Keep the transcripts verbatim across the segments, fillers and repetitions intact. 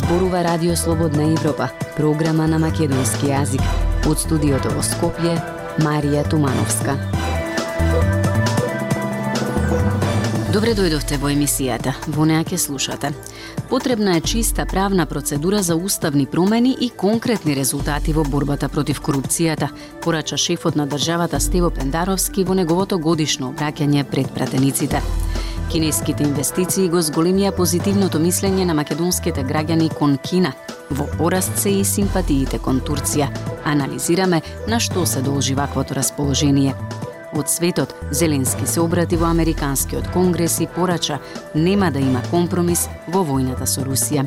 зборува Радио Слободна Европа, програма на македонски јазик. Од студиото во Скопје, Марија Тумановска. Добре дојдовте во емисијата. Во неа ќе слушате. Потребна е чиста правна процедура за уставни промени и конкретни резултати во борбата против корупцијата, порача шефот на државата Стево Пендаровски во неговото годишно обраќање пред пратениците. Кинеските инвестиции го зголемија позитивното мислење на македонските граѓани кон Кина. Во пораст се и симпатиите кон Турција. Анализираме на што се должи ваквото расположение. Од светот, Зеленски се обрати во Американскиот конгрес и порача нема да има компромис во војната со Русија.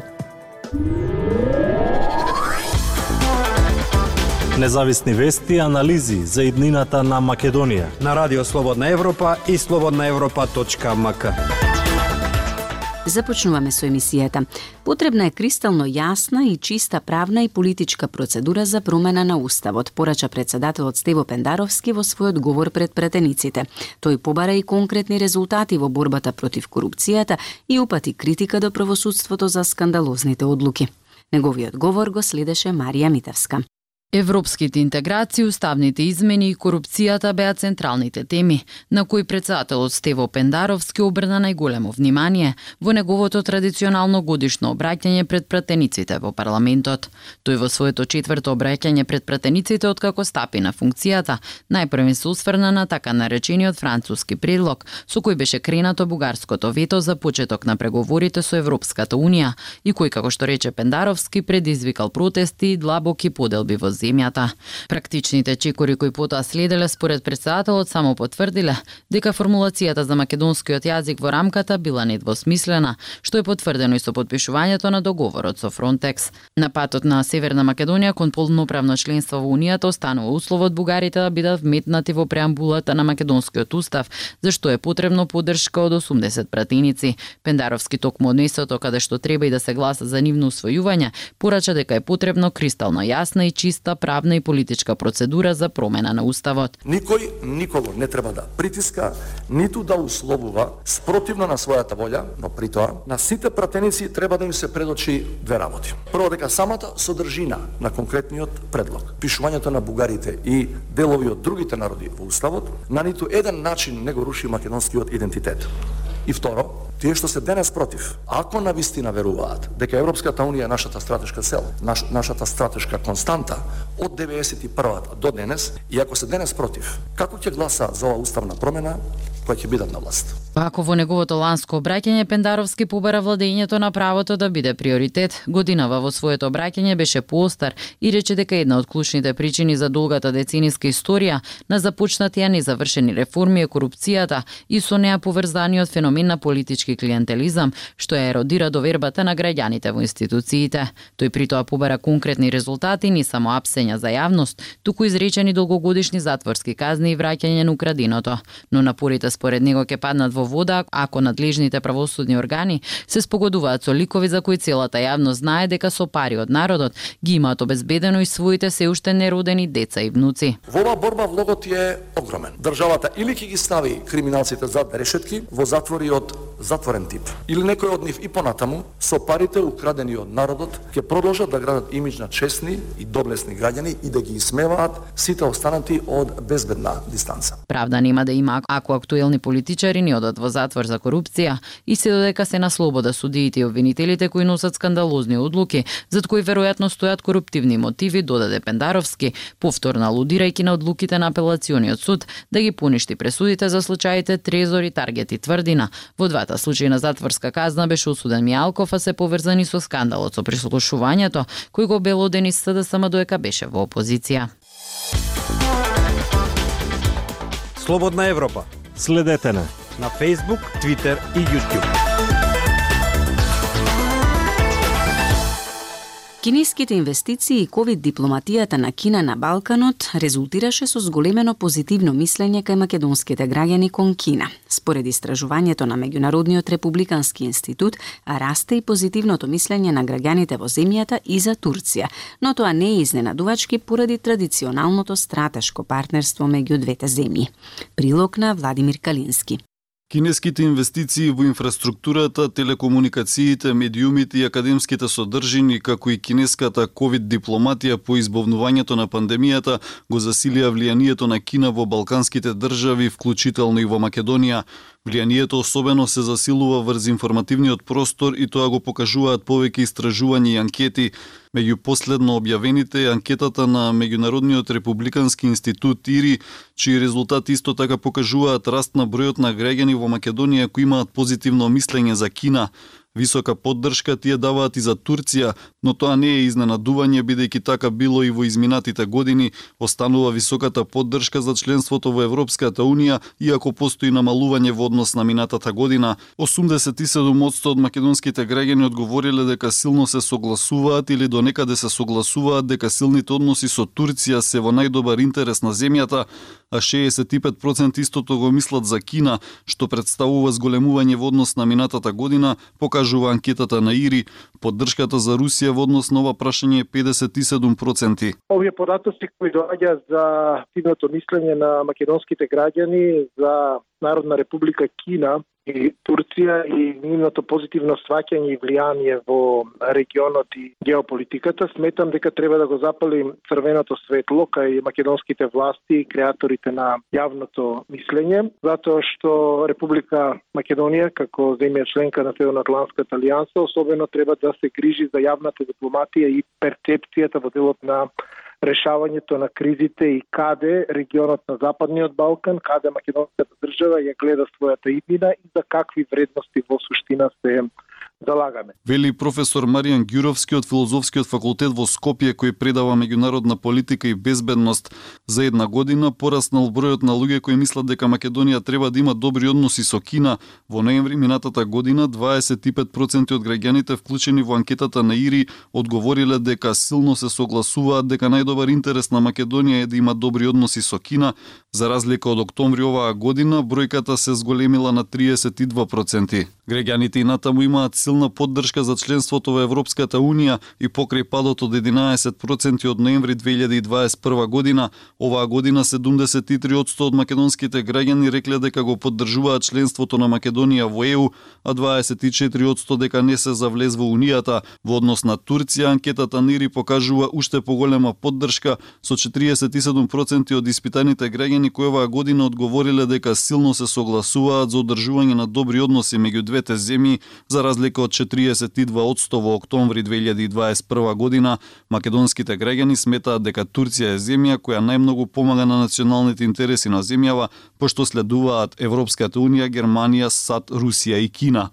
Независни вести и анализи за иднината на Македонија на Радио Слободна Европа и слободна европа точка ем ка. Започнуваме со емисијата. Потребна е кристално јасна и чиста правна и политичка процедура за промена на уставот, порача председателот Стево Пендаровски во својот говор пред пратениците. Тој побара и конкретни резултати во борбата против корупцијата и упати критика до правосудството за скандалозните одлуки. Неговиот говор го следеше Марија Митевска. Европските интеграции, уставните измени и корупцијата беа централните теми, на кои председателот Стево Пендаровски обрна најголемо внимание во неговото традиционално годишно обраќање пред пратениците во парламентот. Тој во своето четврто обраќање пред пратениците откако стапи на функцијата, најпрво се усврна на така наречениот француски предлог, со кој беше кренато бугарското вето за почеток на преговорите со Европската унија и кој, како што рече Пендаровски, предизвикал протести и длабоки поделби во земјата. Практичните чекори кои потоа следеле според председателот само потврдиле дека формулацијата за македонскиот јазик во рамката била недвосмислена, што е потврдено и со подпишувањето на договорот со Фронтекс. На патот на Северна Македонија кон полноправно членство во Унијата останува условот бугарите да бидат вметнати во преамбулата на македонскиот устав, зашто е потребно поддршка од осумдесет пратеници. Пендаровски токму од местото каде што треба и да се гласа за нивно усвојување, порача дека е потребно кристално јасна и чиста правна и политичка процедура за промена на уставот. Никој никого не треба да притиска, ниту да условува спротивно на својата волја, но при тоа на сите пратеници треба да им се предочи две работи. Прво, дека самата содржина на конкретниот предлог, пишувањето на бугарите и делови од другите народи во уставот, на ниту еден начин не го руши македонскиот идентитет. И второ, тие што се денес против, ако навистина веруваат дека Европската унија е нашата стратешка цел, наш, нашата стратешка константа од деветдесет и прва до денес, и ако се денес против, како ќе гласаат за оваа уставна промена која ќе бидат на власт? Ако во неговото ланско обраќање Пендаровски побара владењето на правото да биде приоритет, годинава во своето обраќање беше поостар и рече дека една од клучните причини за долгата децениска историја на започнатија незавршени реформи е корупцијата и со неа поврзаниот феномен на политички клиентелизам, што ја еродира довербата на граѓаните во институциите. Тој при тоа побара конкретни резултати, не само апсења за јавност, туку изречени долгогодишни затворски казни и враќање на украденото. Но напорите според него ќе паднат во вода ако надлежните правосудни органи се спогодуваат со ликови за кои целата јавност знае дека со пари од народот ги имаат обезбедено и своите се уште неродени деца и внуци. Во оваа борба влогот е огромен. Државата или ќе ги стави криминалците зад решетки во затвори од затворен тип, или некој од нив и понатаму со парите украдени од народот ќе продолжат да градат имиџ на честни и доблесни граѓани и да ги исмеваат сите останати од безбедна дистанца. Правда нема да има ако актуелни политичари не одат во затвор за корупција и се додека се на слобода судиите и обвинителите кои носат скандалозни одлуки, зад кои веројатно стојат коруптивни мотиви, додаде Пендаровски, повторно алудирајќи на одлуките на апелациониот суд да ги поништи пресудите за случаите Трезор и Таргет и Тврдина. Во двата случаи на затворска казна беше осуден Мијалков, а се поврзани со скандалот со прислушувањето, кој го белодени С Д С М додека беше во опозиција. Слободна Европа. Следете на на Facebook, Twitter и YouTube. Кинеските инвестиции и ковид дипломатијата на Кина на Балканот резултираше со зголемено позитивно мислење кај македонските граѓани кон Кина. Според истражувањето на Меѓународниот републикански институт, расте и позитивното мислење на граѓаните во земјата и за Турција, но тоа не е изненадувачки поради традиционалното стратешко партнерство меѓу двете земји. Прилог на Владимир Калински. Кинеските инвестиции во инфраструктурата, телекомуникациите, медиумите и академските содржини, како и кинеската ковид дипломатија по избавнувањето на пандемијата, го засилија влијанието на Кина во балканските држави, вклучително и во Македонија. Влијанието особено се засилува врз информативниот простор и тоа го покажуваат повеќе истражувања и анкети. Меѓу последно објавените е анкетата на Меѓународниот републикански институт ИРИ, чии резултати исто така покажуваат раст на бројот на граѓани во Македонија кои имаат позитивно мислење за Кина. Висока поддршка тие даваат и за Турција, но тоа не е изненадување бидејќи така било и во изминатите години. Останува високата поддршка за членството во Европската Унија, иако постои намалување во однос на минатата година. осумдесет и седум одсто од македонските граѓани одговориле дека силно се согласуваат или до некаде се согласуваат дека силните односи со Турција се во најдобар интерес на земјата, а шеесет и пет проценти истото го мислат за Кина, што представува зголемување во однос на минатата година, покажува анкетата на ИРИ. Поддршката за Русија во однос на ова прашање е педесет и седум проценти. Овие податоци кои доаѓаат за активното мислење на македонските граѓани за Народна република Кина и Турција и нивното позитивно сваќање и влијание во регионот и геополитиката, сметам дека треба да го запалим црвеното светло кај македонските власти и креаторите на јавното мислење, затоа што Република Македонија како земја членка на Северноатлантската алијанса особено треба да се грижи за јавната дипломатија и перцепцијата во делот на решавањето на кризите и каде регионот на Западниот Балкан, каде македонската држава ја гледа својата иднина и за какви вредности во суштина се залагаме. Вели професор Маријан Ѓуровски од Филозофскиот факултет во Скопје, кој предава меѓународна политика и безбедност. За една година пораснал бројот на луѓе кои мислат дека Македонија треба да има добри односи со Кина. Во ноември минатата година дваесет и пет проценти од граѓаните вклучени во анкетата на ИРИ одговориле дека силно се согласуваат дека најдобар интерес на Македонија е да има добри односи со Кина. За разлика од октомври оваа година, бројката се зголемила на триесет и два проценти. Граѓаните и натаму имаат силна поддршка за членството во Европската Унија и покрај падот од единаесет проценти од ноември две илјади и дваесет и прва година, оваа година седумдесет и три одсто од македонските граѓани рекле дека го поддржуваат членството на Македонија во ЕУ, а дваесет и четири одсто дека не се за влез во Унијата. Во однос на Турција, анкетата НИРИ покажува уште поголема поддршка со четириесет и седум проценти од испитаните граѓани кои оваа година одговориле дека силно се согласуваат за одржување на добри односи меѓу двете земји, за разлика од четириесет и два одсто во октомври две илјади и дваесет и прва година. Македонските граѓани сметаат дека Турција е земја која најмногу помага на националните интереси на земјава, пошто следуваат Европската Унија, Германија, САД, Русија и Кина.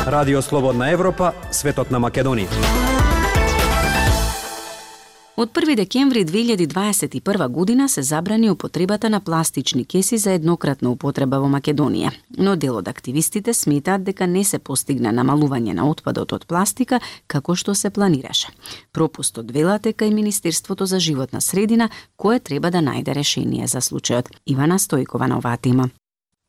Радио Слободна Европа, светот на Македонија. Од први декември две илјади дваесет и прва година се забрани употребата на пластични кеси за еднократна употреба во Македонија, но дел од активистите сметаат дека не се постигна намалување на отпадот од пластика како што се планираше. Пропустот велат е кај Министерството за животна средина, кое треба да најде решение за случајот. Ивана Стојкова на оваа тема.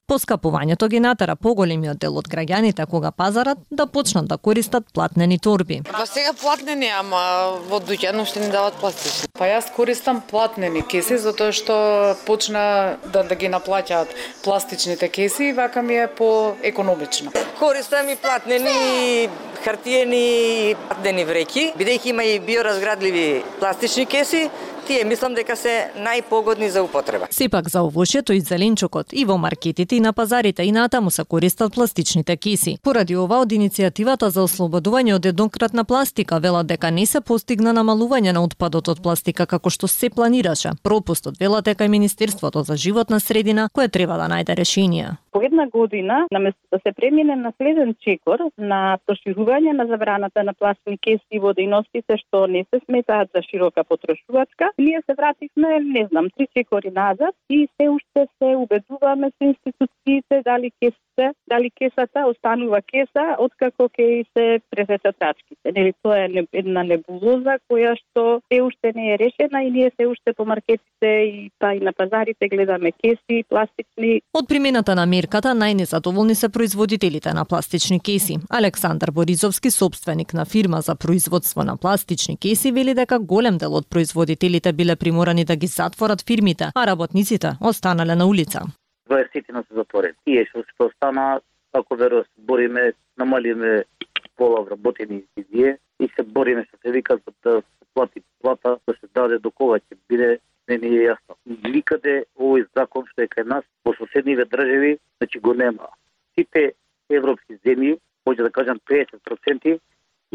Поскапувањето ги натера поголемиот дел од граѓаните кога пазарат да почнат да користат платнени торби. Па сега платнени, ама во дуќан уште ни дават пластични. Па јас користам платнени кеси затоа што почна да, да ги наплаќаат пластичните кеси и вака ми е поекономично. Користам и платнени, и хартиени, и платнени вреќи, бидејќи има и биоразградливи пластични кеси. Тие мислам дека се најпогодни за употреба. Сепак за овошјето и зеленчукот и во маркетите и на пазарите и натаму се користат пластичните кеси. Поради ова од иницијативата за ослободување од еднократна пластика велат дека не се постигна намалување на отпадот од пластика како што се планираше. Пропустот велат е кај Министерството за животна средина кое треба да најде решение. По една година, наместо да се премине на следен чекор на проширување на забраната на пластични кеси во дејностите што не се сметаат за широка потрошувачка, ние се вративме, не знам, три чекори назад и се уште се убедуваме со институциите дали кесите, дали кесата останува кеса откако ќе се пресечат рачките. Нели тоа е една небулоза која што се уште не е решена и ние се уште по маркетите и па и на пазарите гледаме кеси пластични. Од примената на мерката најнезадоволни се производителите на пластични кеси. Александар Боризовски, собственик на фирма за производство на пластични кеси, вели дека голем дел од производителите властите биле приморани да ги затворат фирмите, а работниците останале на улица. дваесет се затворени. Тие што што остана, ако веројатно се бориме, намалиме пола вработени изидие и се бориме што се вика за да се плати плата, да се даде до кога ќе биде, не ни е јасно. Никаде овој закон што е кај нас, во соседниве држави, значи го нема. Сите европски земји, може да кажам педесет проценти,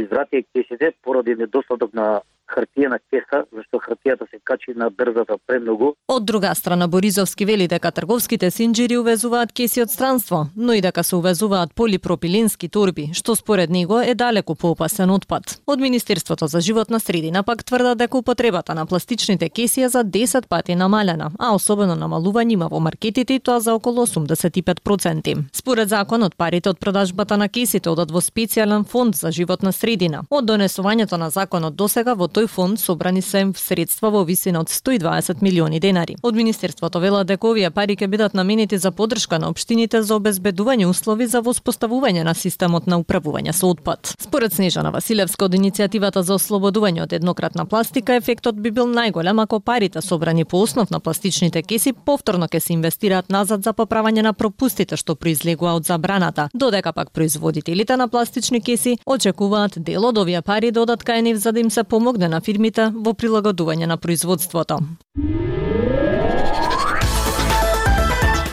извратија кесите поради недостаток на хартиена кеса, зашто хартијата се качи на дрвата премногу. Од друга страна, Боризовски вели дека трговските синџири увезуваат кеси од странство, но и дека се увезуваат полипропиленски торби, што според него е далеку поопасен отпад. Од Министерството за животна средина пак тврдат дека употребата на пластичните кеси е за десет пати намалена, а особено намалување има во маркетите и тоа за околу осумдесет и пет проценти. Според законот, парите од продажбата на кесите одат во специјален фонд за животна средина. Од донесувањето на законот досега во тој фонд собрани се средства во висина од сто и дваесет милиони денари. Од Министерството велат дека овие пари ќе бидат наменети за поддршка на општините за обезбедување услови за воспоставување на системот на управување со отпад. Според Снежана Василевска од иницијативата за ослободување од еднократна пластика, ефектот би бил најголем ако парите собрани по основ на пластичните кеси повторно ќе се инвестираат назад за поправање на пропустите што произлегува од забраната, додека пак производителите на пластични кеси очекуваат дел од овие пари да одат кај нив за да им се помогне на фирмите во прилагодување на производството.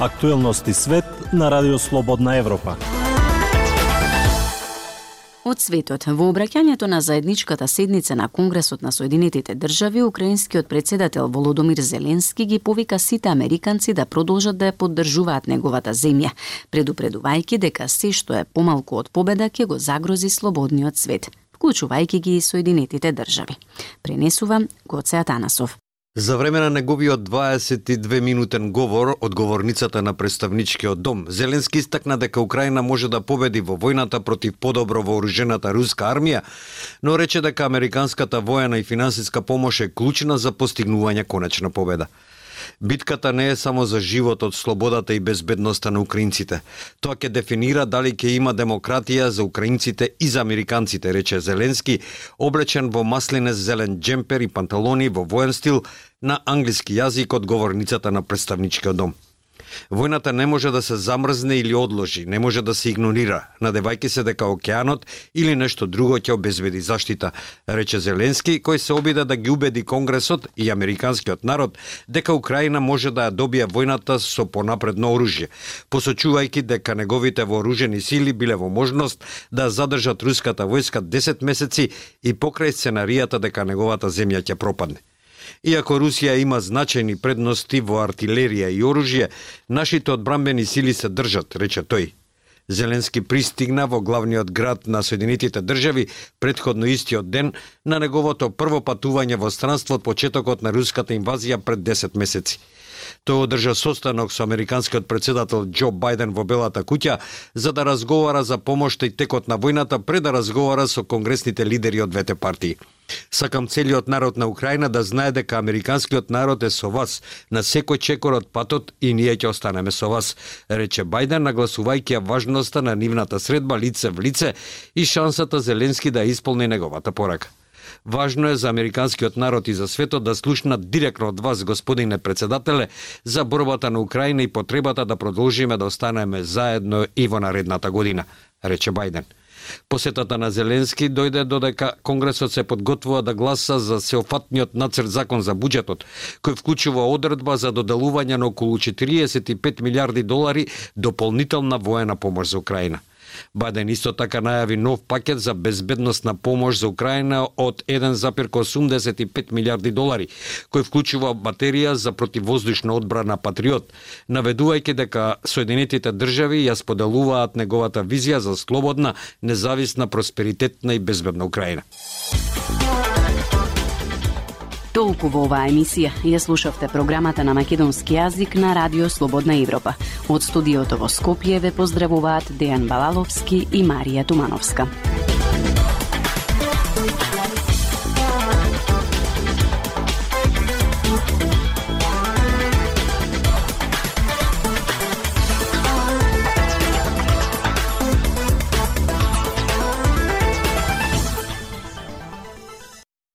Актуелности свет на Радио Слободна Европа. Од светот, во обраќањето на заедничката седница на Конгресот на Соединетите држави, украинскиот председател Володомир Зеленски ги повика сите американци да продолжат да ја поддржуваат неговата земја, предупредувајќи дека се што е помалку од победа ќе го загрози слободниот свет, вклучувајќи ги и Соединетите држави. Пренесува Гоце Атанасов. За време на неговиот дваесет и две минутен говор од говорницата на представничкиот дом, Зеленски истакна дека Украина може да победи во војната против подобро вооружената руска армија, но рече дека американската воена и финансиска помош е клучна за постигнување конечна победа. Битката не е само за животот, слободата и безбедноста на украинците. Тоа ќе дефинира дали ќе има демократија за украинците и за американците, рече Зеленски, облечен во маслинес зелен джемпер и панталони во воен стил на англиски јазик од говорницата на представничкиот дом. Војната не може да се замрзне или одложи, не може да се игнорира, надевајќи се дека океанот или нешто друго ќе обезбеди заштита, рече Зеленски, кој се обида да ги убеди Конгресот и американскиот народ дека Украина може да ја добие војната со понапредно оружје, посочувајќи дека неговите вооружени сили биле во можност да задржат руската војска десет месеци и покрај сценаријата дека неговата земја ќе пропадне. Иако Русија има значајни предности во артилерија и оружје, нашите одбранбени сили се држат, рече тој. Зеленски пристигна во главниот град на Соединетите држави претходно истиот ден на неговото прво патување во странство од почетокот на руската инвазија пред десет месеци. Тој одржа состанок со американскиот председател Џо Бајден во Белата куќа за да разговара за помошта и текот на војната пред да разговара со конгресните лидери од двете партии. Сакам целиот народ на Украина да знае дека американскиот народ е со вас на секој чекор од патот и ние ќе останеме со вас, рече Бајден, нагласувајќи ја важноста на нивната средба лице в лице и шансата Зеленски да исполни неговата порака. Важно е за американскиот народ и за светот да слушнат директно од вас, господине председателе, за борбата на Украина и потребата да продолжиме да останеме заедно и во наредната година, рече Бајден. Посетата на Зеленски дојде додека Конгресот се подготвува да гласа за сеопфатниот нацрт закон за буџетот, кој вклучува одредба за доделување на околу четириесет и пет милиарди долари дополнителна воена помош за Украина. Бајден исто така најави нов пакет за безбедносна помош за Украина од еден зарез осумдесет и пет милиарди долари, кој вклучува батерија за противвоздушна одбрана Патриот, наведувајќи дека Соединетите држави ја споделуваат неговата визија за слободна, независна, просперитетна и безбедна Украина. Толку во оваа емисија. Ја слушавте програмата на македонски јазик на Радио Слободна Европа. Од студиото во Скопје ве поздравуваат Дејан Балаловски и Марија Тумановска.